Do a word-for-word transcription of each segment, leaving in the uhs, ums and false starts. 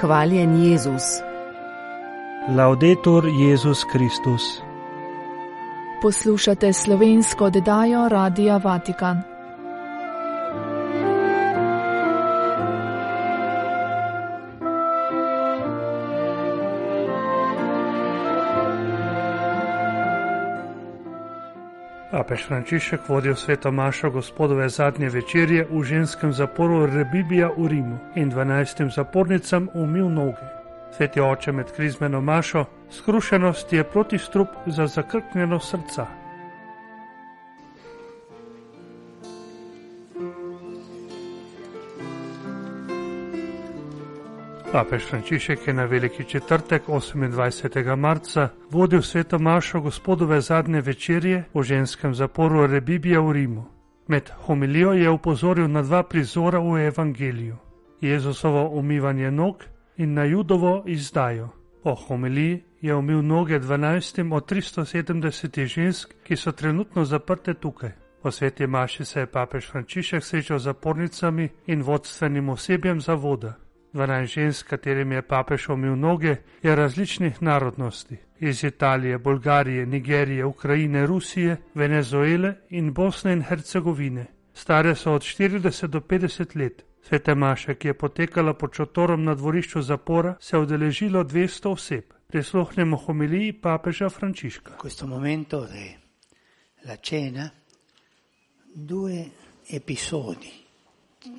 Hvaljen Jezus. Laudetur Jezus Kristus. Poslušate slovensko oddajo Radia Vatikan. Papež Frančišek vodil sveto mašo Gospodove zadnje večerje v ženskem zaporu Rebibbia v Rimu in dvanajstim zapornicam umil noge. Sveti oče med krizmeno mašo: skrušenost je protistrup za zakrknjeno srca. Papež Frančišek je na veliki četrtek, osemindvajsetega marca, vodil sveto mašo Gospodove zadnje večerje v ženskem zaporu Rebibbia v Rimu. Med homilijo je opozoril na dva prizora v evangeliju: Jezusovo umivanje nog in na Judovo izdajo. Po homiliji je umil noge dvanajstim od tristo sedemdesetih žensk, ki so trenutno zaprte tukaj. Po sveti maši se je papež Frančišek srečal z zapornicami in vodstvenim osebjem zavoda. dvanajst žensk, katerim je papež umil noge, je različnih narodnosti: iz Italije, Bolgarije, Nigerije, Ukrajine, Rusije, Venezuele in Bosne in Hercegovine. Stare so od štirideset do petdeset let. Svete maše, ki je potekala pod šotorom na dvorišču zapora, se je udeležilo dvesto oseb. Prisluhnemo homiliji papeža Frančiška. In questo momento della cena due episodi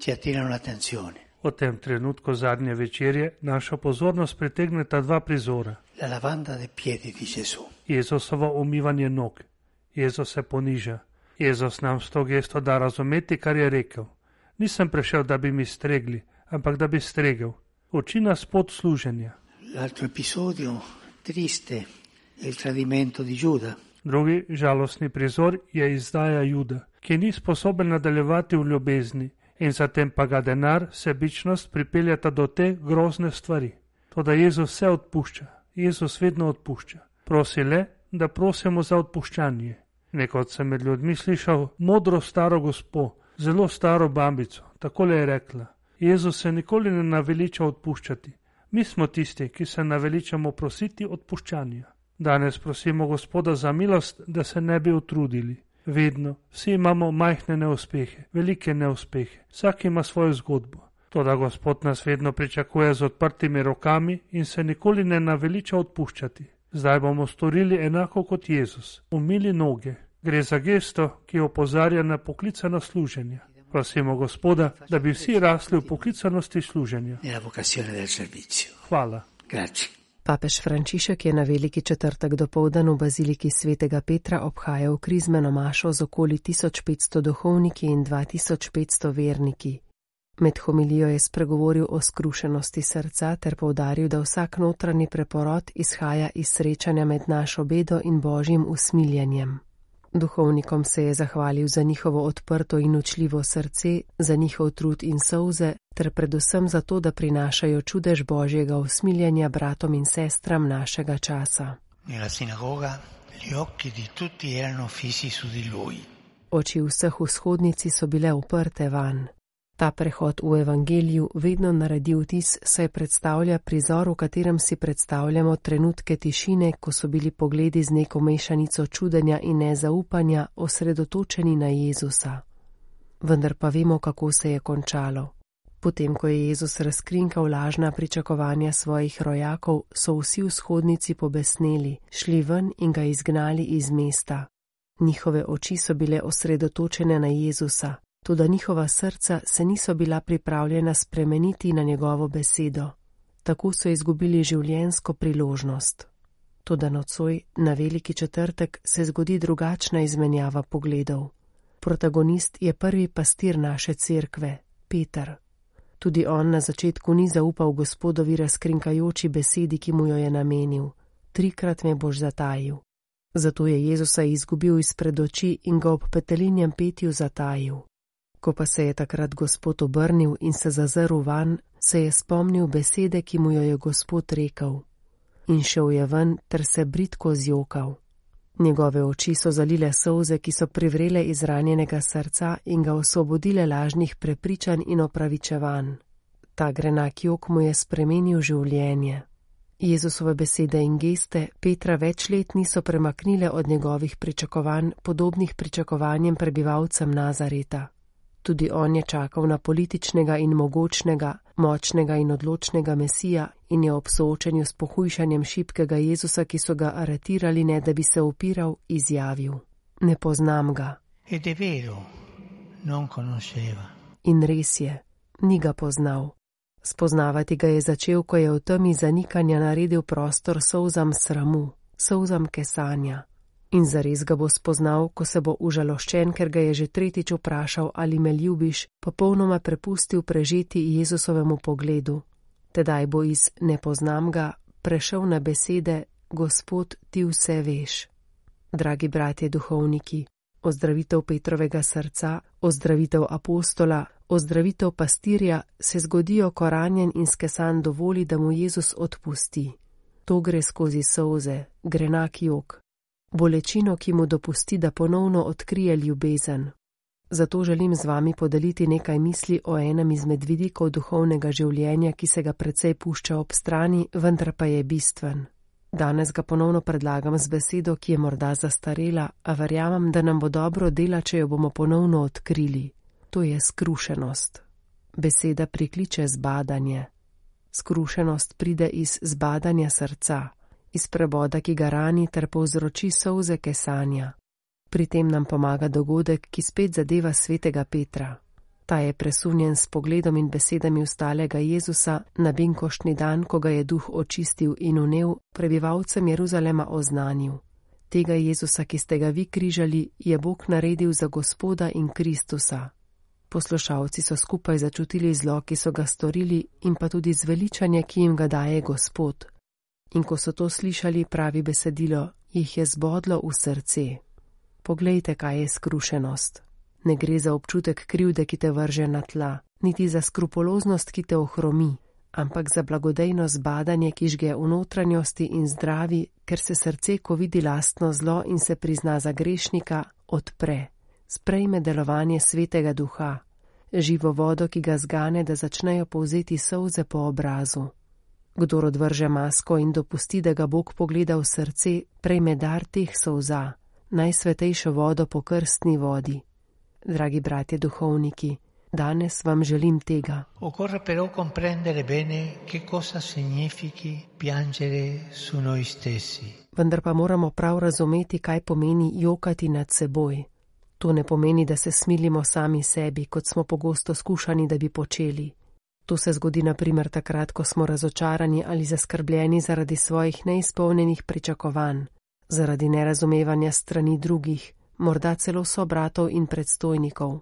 ci attirano l'attenzione. V tem trenutku zadnje večerje našo pozornost pritegneta dva prizora. La lavanda dei piedi di Gesù. Jezusovo umivanje nog. Jezus se poniža. Jezus nam s to gesto da razumeti, kar je rekel: nisem prišel, da bi mi stregli, ampak da bi stregel. Uči nas pot služenja. L'altro episodio triste è il tradimento di Giuda. Drugi žalostni prizor je izdaja Juda, ki ni sposoben nadaljevati v ljubezni, in zatem pa ga denar, sebičnost pripeljata do te grozne stvari. Toda Jezus vse odpušča. Jezus vedno odpušča. Prosi le, da prosimo za odpuščanje. Nekod sem med ljudmi slišal modro staro gospo, zelo staro babico. Takole je rekla: Jezus se nikoli ne naveliča odpuščati. Mi smo tisti, ki se naveličamo prositi odpuščanja. Danes prosimo Gospoda za milost, da se ne bi utrudili. Vedno, vsi imamo majhne neuspehe, velike neuspehe, vsak ima svojo zgodbo. Toda Gospod nas vedno pričakuje z odprtimi rokami in se nikoli ne naveliča odpuščati. Zdaj bomo storili enako kot Jezus, umili noge. Gre za gesto, ki opozarja na poklicano služenje. Prosimo Gospoda, da bi vsi rasli v poklicanosti služenja. Hvala. Grazie. Papež Frančišek je na veliki četrtek dopoldan v baziliki svetega Petra obhajal krizmeno mašo z okoli tisoč petsto duhovniki in dva tisoč petsto verniki. Med homilijo je spregovoril o skrušenosti srca ter poudaril, da vsak notranji preporod izhaja iz srečanja med našo bedo in božjim usmiljenjem. Duhovnikom se je zahvalil za njihovo odprto in učljivo srce, za njihov trud in solze, ter predvsem za to, da prinašajo čudež božjega usmiljenja bratom in sestram našega časa. Nella sinagoga gli occhi di tutti erano fissi su di lui. Oči vseh v shodnici so bile uprte vanj. Ta prehod v evangeliju vedno naredi vtis, saj predstavlja prizor, v katerem si predstavljamo trenutke tišine, ko so bili pogledi z neko mešanico čudenja in nezaupanja osredotočeni na Jezusa. Vendar pa vemo, kako se je končalo. Potem, ko je Jezus razkrinkal lažna pričakovanja svojih rojakov, so vsi v shodnici pobesneli, šli ven in ga izgnali iz mesta. Njihove oči so bile osredotočene na Jezusa, toda njihova srca se niso bila pripravljena spremeniti na njegovo besedo. Tako so izgubili življenjsko priložnost. Toda nocoj, na veliki četrtek, se zgodi drugačna izmenjava pogledov. Protagonist je prvi pastir naše cerkve, Peter. Tudi on na začetku ni zaupal Gospodovi razkrinkajoči besedi, ki mu jo je namenil: trikrat me boš zatajil. Zato je Jezusa izgubil izpred oči in ga ob petelinjem petju zatajil. Ko pa se je takrat Gospod obrnil in se zazrl vanj, se je spomnil besede, ki mu jo je Gospod rekel. In šel je ven ter se bridko zjokal. Njegove oči so zalile solze, ki so privrele iz ranjenega srca in ga osvobodile lažnih prepričanj in opravičevanj. Ta grenak jok mu je spremenil življenje. Jezusove besede in geste Petra več let niso premaknile od njegovih pričakovanj, podobnih pričakovanjem prebivalcem Nazareta. Tudi on je čakal na političnega in mogočnega, močnega in odločnega Mesija in je ob soočenju s pohujšanjem šibkega Jezusa, ki so ga aretirali, ne da bi se upiral, izjavil: Ne poznam ga. Ed è vero, non conosceva. In res je, ni ga poznal. Spoznavati ga je začel, ko je v temi zanikanja naredil prostor solzam sramu, solzam kesanja. In zares ga bo spoznal, ko se bo užaloščen, ker ga je že tretjič vprašal, ali me ljubiš, popolnoma prepustil prežeti Jezusovemu pogledu. Tedaj bo iz ne poznam ga prešel na besede: Gospod, ti vse veš. Dragi bratje duhovniki, ozdravitev Petrovega srca, ozdravitev apostola, ozdravitev pastirja se zgodijo, ko ranjen in skesan dovoli, da mu Jezus odpusti. To gre skozi solze, grenak jok. Bolečino, ki mu dopusti, da ponovno odkrije ljubezen. Zato želim z vami podeliti nekaj misli o enem izmed vidikov duhovnega življenja, ki se ga precej pušča ob strani, vendar pa je bistven. Danes ga ponovno predlagam z besedo, ki je morda zastarela, a verjamem, da nam bo dobro dela, če jo bomo ponovno odkrili. To je skrušenost. Beseda prikliče zbadanje. Skrušenost pride iz zbadanja srca, iz preboda, ki ga rani ter povzroči solze kesanja. Pri tem nam pomaga dogodek, ki spet zadeva svetega Petra. Ta je presunjen s pogledom in besedami ustalega Jezusa na binkoštni dan, ko ga je duh očistil in vnel, prebivalcem Jeruzalema oznanil: Tega Jezusa, ki ste ga vi križali, je Bog naredil za Gospoda in Kristusa. Poslušalci so skupaj začutili zlo, ki so ga storili, in pa tudi zveličanje, ki jim ga daje Gospod. In ko so to slišali, pravi besedilo, jih je zbodlo v srce. Poglejte, kaj je skrušenost. Ne gre za občutek krivde, ki te vrže na tla, niti za skrupuloznost, ki te ohromi, ampak za blagodejno zbadanje, ki žge v notranjosti in zdravi, ker se srce, ko vidi lastno zlo in se prizna za grešnika, odpre, sprejme delovanje svetega duha, živo vodo, ki ga zgane, da začnejo povzeti solze po obrazu. Kdor odvrže masko in dopusti, da ga Bog pogleda v srce, prejme dar teh solza, najsvetejšo vodo po krstni vodi. Dragi bratje duhovniki, danes vam želim tega. Occorre però comprendere bene che cosa significhi piangere su noi stessi. Vendar pa moramo prav razumeti, kaj pomeni jokati nad seboj. To ne pomeni, da se smilimo sami sebi, kot smo pogosto skušani, da bi počeli. To se zgodi na primer takrat, ko smo razočarani ali zaskrbljeni zaradi svojih neizpolnjenih pričakovanj, zaradi nerazumevanja strani drugih, morda celo sobratov in predstojnikov.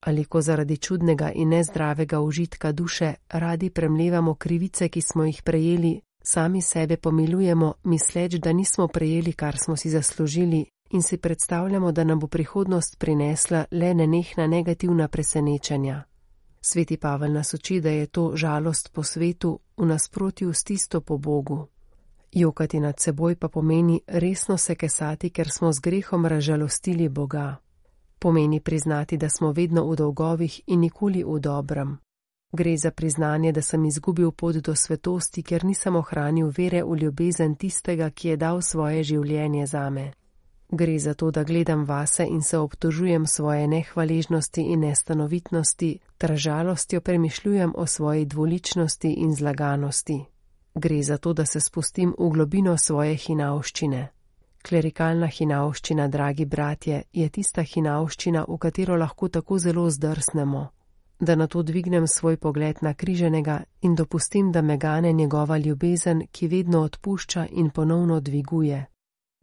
Ali ko zaradi čudnega in nezdravega užitka duše radi premlevamo krivice, ki smo jih prejeli, sami sebe pomilujemo, misleč, da nismo prejeli, kar smo si zaslužili, in si predstavljamo, da nam bo prihodnost prinesla le nenehna negativna presenečenja. Sveti Pavel nas uči, da je to žalost po svetu v nasprotju s tisto po Bogu. Jokati nad seboj pa pomeni resno se kesati, ker smo z grehom razžalostili Boga. Pomeni priznati, da smo vedno v dolgovih in nikoli v dobrem. Gre za priznanje, da sem izgubil pot do svetosti, ker nisem ohranil vere v ljubezen tistega, ki je dal svoje življenje zame. Gre za to, da gledam vase in se obtožujem svoje nehvaležnosti in nestanovitnosti, ter žalostjo premišljujem o svoji dvoličnosti in zlaganosti. Gre za to, da se spustim v globino svoje hinavščine. Klerikalna hinavščina, dragi bratje, je tista hinavščina, v katero lahko tako zelo zdrsnemo, da na to dvignem svoj pogled na križenega in dopustim, da me gane njegova ljubezen, ki vedno odpušča in ponovno dviguje,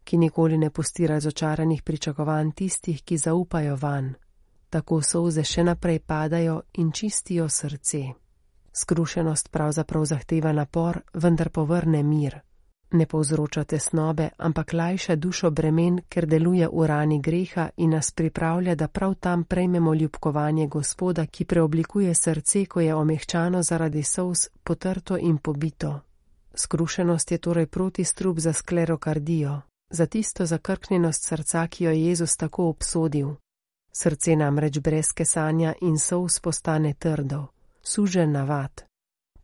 ki nikoli ne pusti razočaranih pričakovanj tistih, ki zaupajo vanj. Tako solze še naprej padajo in čistijo srce. Skrušenost pravzaprav zahteva napor, vendar povrne mir. Ne povzroča tesnobe, ampak lajša dušo bremen, ker deluje v rani greha in nas pripravlja, da prav tam prejmemo ljubkovanje Gospoda, ki preoblikuje srce, ko je omehčano zaradi solz, potrto in pobito. Skrušenost je torej protistrup za sklerokardijo, za tisto zakrknjenost srca, ki jo je Jezus tako obsodil. Srce namreč brez kesanja in solz postane trdo, sužen navad.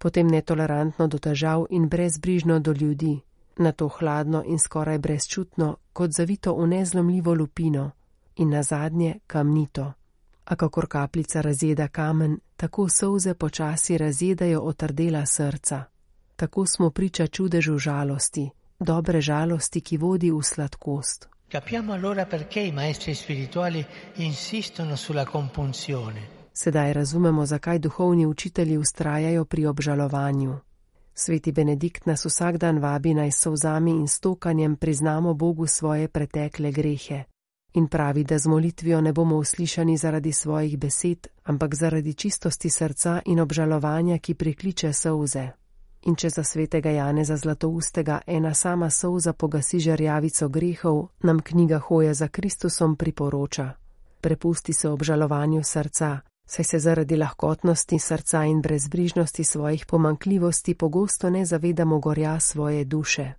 potem netolerantno do težav in brezbrižno do ljudi, nato hladno in skoraj brezčutno, kot zavito v nezlomljivo lupino, in nazadnje kamnito. A kakor kapljica razjeda kamen, tako solze počasi razjedajo otrdela srca. Tako smo priča čudežu žalosti, dobre žalosti, ki vodi v sladkost. Capiamo allora perché i maestri spirituali insistono sulla compunzione. Sedaj razumemo, zakaj duhovni učitelji vztrajajo pri obžalovanju. Sveti Benedikt nas vsak dan vabi, naj s solzami in stokanjem priznamo Bogu svoje pretekle grehe. In pravi, da z molitvijo ne bomo uslišani zaradi svojih besed, ampak zaradi čistosti srca in obžalovanja, ki prikliče solze. In če za svetega Janeza Zlatoustega ena sama solza pogasi žarjavico grehov, nam knjiga Hoja za Kristusom priporoča: prepusti se obžalovanju srca, saj se zaradi lahkotnosti srca in brezbrižnosti svojih pomanjkljivosti pogosto ne zavedamo gorja svoje duše.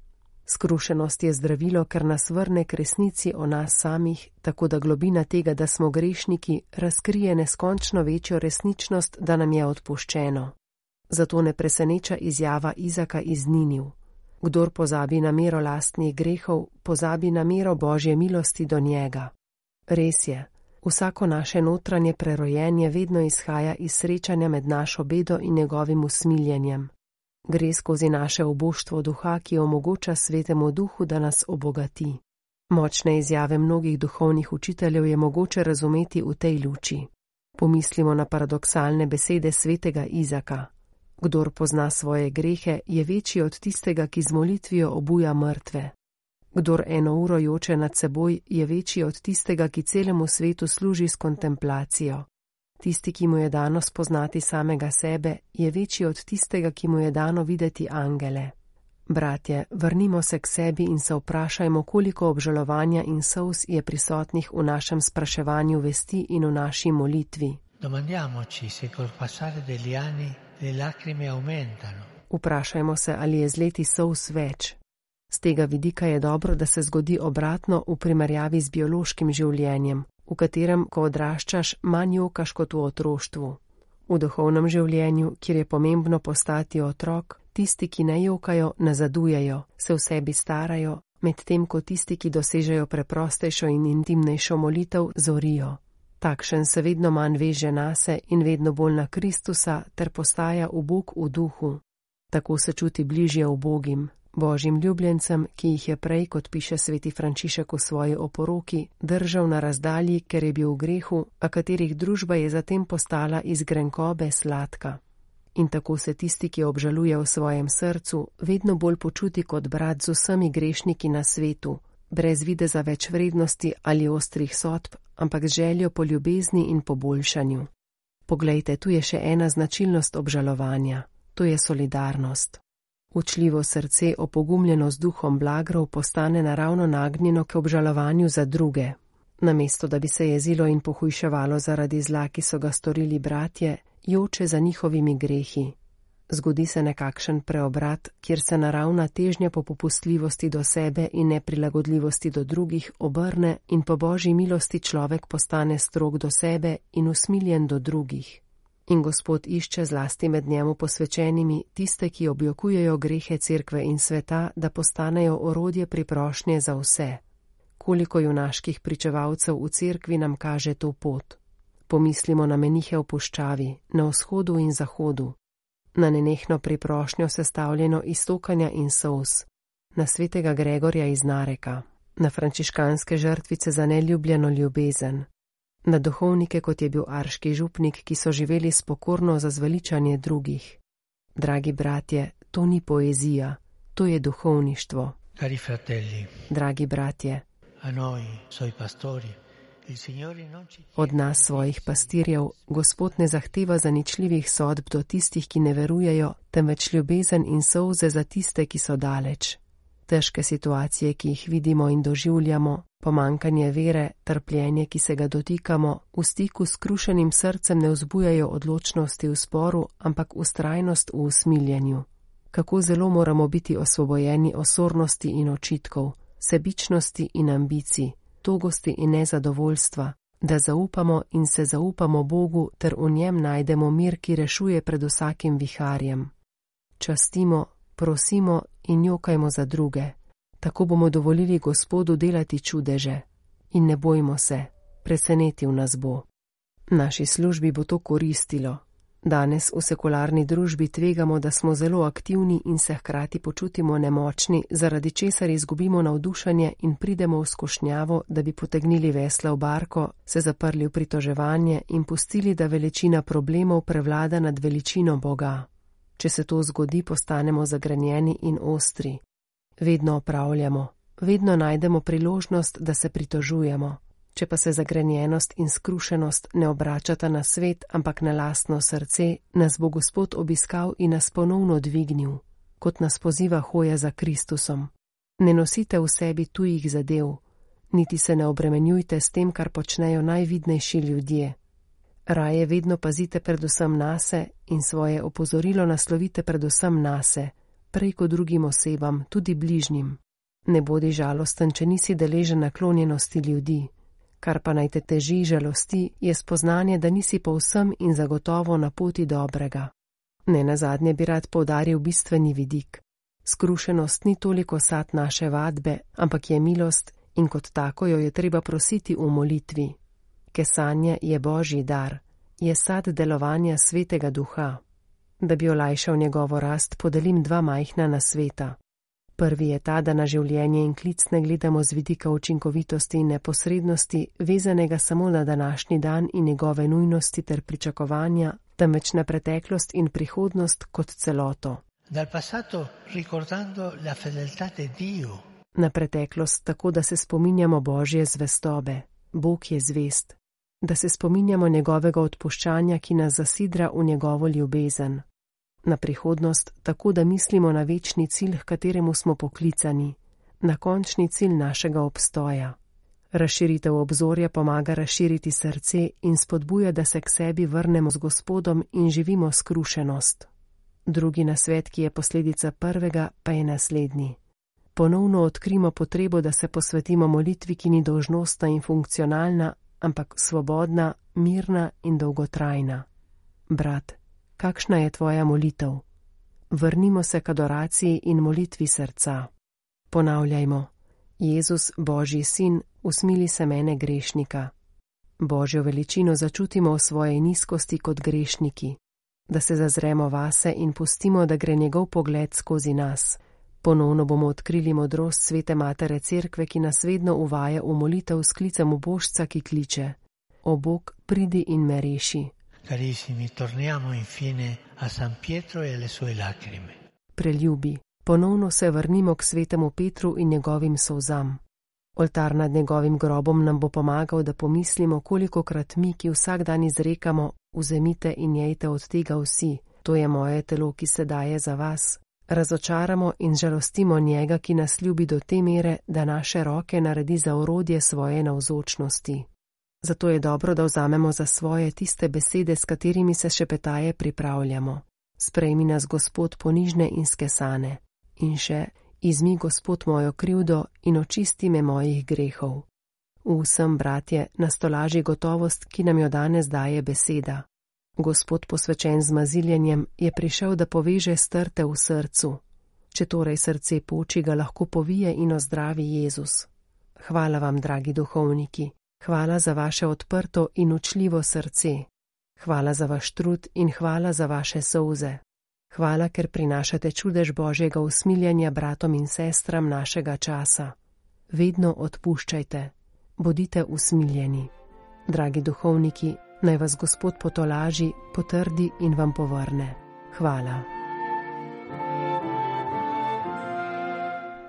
Skrušenost je zdravilo, ker nas vrne k resnici o nas samih, tako da globina tega, da smo grešniki, razkrije neskončno večjo resničnost, da nam je odpuščeno. Zato ne preseneča izjava Izaka iz Niniv: kdor pozabi na mero lastnih grehov, pozabi na mero Božje milosti do njega. Res je, vsako naše notranje prerojenje vedno izhaja iz srečanja med našo bedo in njegovim usmiljenjem. Gre skozi naše oboštvo duha, ki omogoča Svetemu Duhu, da nas obogati. Močne izjave mnogih duhovnih učiteljev je mogoče razumeti v tej luči. Pomislimo na paradoksalne besede svetega Izaka: kdor pozna svoje grehe, je večji od tistega, ki z molitvijo obuja mrtve. Kdor eno uro joče nad seboj, je večji od tistega, ki celemu svetu služi s kontemplacijo. Tisti, ki mu je dano spoznati samega sebe, je večji od tistega, ki mu je dano videti angele. Bratje, vrnimo se k sebi in se vprašajmo, koliko obžalovanja in solz je prisotnih v našem spraševanju vesti in v naši molitvi. Domandiamoci se col passare degli anni le lacrime aumentano. Vprašajmo se, ali je z leti solz več. Z tega vidika je dobro, da se zgodi obratno v primerjavi z biološkim življenjem, v katerem, ko odraščaš, manj jokaš kot v otroštvu. V duhovnem življenju, kjer je pomembno postati otrok, tisti, ki ne jokajo, nazadujejo, se v sebi starajo, medtem ko tisti, ki dosežejo preprostejšo in intimnejšo molitev, zorijo. Takšen se vedno manj veže nase in vedno bolj na Kristusa ter postaja ubog v duhu. Tako se čuti bližje ubogim, Božjim ljubljencem, ki jih je prej, kot piše sveti Frančišek v svoji oporoki, držal na razdalji, ker je bil v grehu, a katerih družba je zatem postala iz grenkobe sladka. In tako se tisti, ki obžaluje v svojem srcu, vedno bolj počuti kot brat z vsemi grešniki na svetu, brez videza več vrednosti ali ostrih sodb, ampak z željo po ljubezni in po boljšanju. Poglejte, tu je še ena značilnost obžalovanja, to je solidarnost. Učljivo srce, opogumljeno z duhom blagrov, postane naravno nagnjeno k obžalovanju za druge. Namesto da bi se jezilo in pohujševalo zaradi zla, ki so ga storili bratje, joče za njihovimi grehi. Zgodi se nekakšen preobrat, kjer se naravna težnja po popustljivosti do sebe in neprilagodljivosti do drugih obrne in po Božji milosti človek postane strog do sebe in usmiljen do drugih. In Gospod išče zlasti med njemu posvečenimi tiste, ki objokujejo grehe cerkve in sveta, da postanejo orodje priprošnje za vse. Koliko junaških pričevalcev v cerkvi nam kaže to pot. Pomislimo na menihe v puščavi, na vzhodu in zahodu, na nenehno priprošnjo sestavljeno iz stokanja in solz, na svetega Gregorja iz Nareka, na frančiškanske žrtvice za neljubljeno ljubezen, na duhovnike, kot je bil arški župnik, ki so živeli spokorno za zveličanje drugih. Dragi bratje, to ni poezija, to je duhovništvo. Cari fratelli, dragi bratje, a noi, suoi pastori, il Signore non ci... Od nas, svojih pastirjev, Gospod ne zahteva zaničljivih sodb do tistih, ki ne verujejo, temveč ljubezen in solze za tiste, ki so daleč. Težke situacije, ki jih vidimo in doživljamo, pomankanje vere, trpljenje, ki se ga dotikamo, v stiku s krušenim srcem ne vzbujajo odločnosti v sporu, ampak vztrajnost v usmiljenju. Kako zelo moramo biti osvobojeni osornosti in očitkov, sebičnosti in ambicij, togosti in nezadovoljstva, da zaupamo in se zaupamo Bogu ter v njem najdemo mir, ki rešuje pred vsakim viharjem. častimo, prosimo in jokajmo za druge. Tako bomo dovolili Gospodu delati čudeže. In ne bojmo se, presenetil nas bo. Naši službi bo to koristilo. Danes v sekularni družbi tvegamo, da smo zelo aktivni in se hkrati počutimo nemočni, zaradi česar izgubimo navdušenje in pridemo v skušnjavo, da bi potegnili vesla v barko, se zaprli v pritoževanje in pustili, da veličina problemov prevlada nad veličino Boga. Če se to zgodi, postanemo zagrenjeni in ostri. Vedno opravljamo, vedno najdemo priložnost, da se pritožujemo. Če pa se zagrenjenost in skrušenost ne obračata na svet, ampak na lastno srce, nas bo Gospod obiskal in nas ponovno dvignil, kot nas poziva hoja za Kristusom. Ne nosite v sebi tujih zadev, niti se ne obremenjujte s tem, kar počnejo najvidnejši ljudje. Raje vedno pazite predvsem nase in svoje opozorilo naslovite predvsem nase, prej kot drugim osebam, tudi bližnjim. Ne bodi žalosten, če nisi deležen naklonjenosti ljudi. Kar pa naj te teži žalosti, je spoznanje, da nisi povsem in zagotovo na poti dobrega. Ne nazadnje bi rad poudaril bistveni vidik. Skrušenost ni toliko sad naše vadbe, ampak je milost in kot tako jo je treba prositi v molitvi. Kesanje je Božji dar, je sad delovanja Svetega Duha. Da bi olajšal njegovo rast, podelim dva majhna nasveta. Prvi je ta, da na življenje in klic ne gledamo z vidika učinkovitosti in neposrednosti, vezanega samo na današnji dan in njegove nujnosti ter pričakovanja, temveč na preteklost in prihodnost kot celoto. Dal passato ricordando la fedeltà di Dio. Na preteklost tako, da se spominjamo Božje zvestobe, Bog je zvest, da se spominjamo njegovega odpuščanja, ki nas zasidra v njegovo ljubezen. Na prihodnost tako, da mislimo na večni cilj, h kateremu smo poklicani, na končni cilj našega obstoja. Razširitev obzorja pomaga razširiti srce in spodbuja, da se k sebi vrnemo z Gospodom in živimo skrušenost. Drugi nasvet, ki je posledica prvega, pa je naslednji. Ponovno odkrimo potrebo, da se posvetimo molitvi, ki ni dolžnostna in funkcionalna, ampak svobodna, mirna in dolgotrajna. Brat, kakšna je tvoja molitev? Vrnimo se k adoraciji in molitvi srca. Ponavljajmo: Jezus, Božji sin, usmili se mene grešnika. Božjo veličino začutimo v svoji nizkosti kot grešniki, da se zazremo vase in pustimo, da gre njegov pogled skozi nas. Ponovno bomo odkrili modrost Svete Matere Cerkve, ki nas vedno uvaja v molitev s klicem ubožca, ki kliče: O Bog, pridi in me reši. Carissimi, torniamo infine a San Pietro e alle sue lacrime. Preljubi, ponovno se vrnimo k svetemu Petru in njegovim solzam. Oltar nad njegovim grobom nam bo pomagal, da pomislimo, kolikokrat mi, ki vsak dan izrekamo: Vzemite in jejte od tega vsi, to je moje telo, ki se daje za vas, razočaramo in žalostimo njega, ki nas ljubi do te mere, da naše roke naredi za orodje svoje navzočnosti. Zato je dobro, da vzamemo za svoje tiste besede, s katerimi se šepetaje pripravljamo. Sprejmi nas, Gospod, ponižne in skesane. In še: Izmi, Gospod, mojo krivdo in očisti me mojih grehov. V vsem, bratje, nastolaži gotovost, ki nam jo danes daje beseda. Gospod, posvečen z maziljenjem, je prišel, da poveže strte v srcu. Če torej srce poči, ga lahko povije in ozdravi Jezus. Hvala vam, dragi duhovniki. Hvala za vaše odprto in učljivo srce. Hvala za vaš trud in hvala za vaše solze. Hvala, ker prinašate čudež Božjega usmiljanja bratom in sestram našega časa. Vedno odpuščajte. Bodite usmiljeni. Dragi duhovniki, naj vas Gospod potolaži, potrdi in vam povrne. Hvala.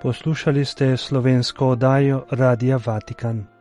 Poslušali ste slovensko oddajo Radia Vatikan.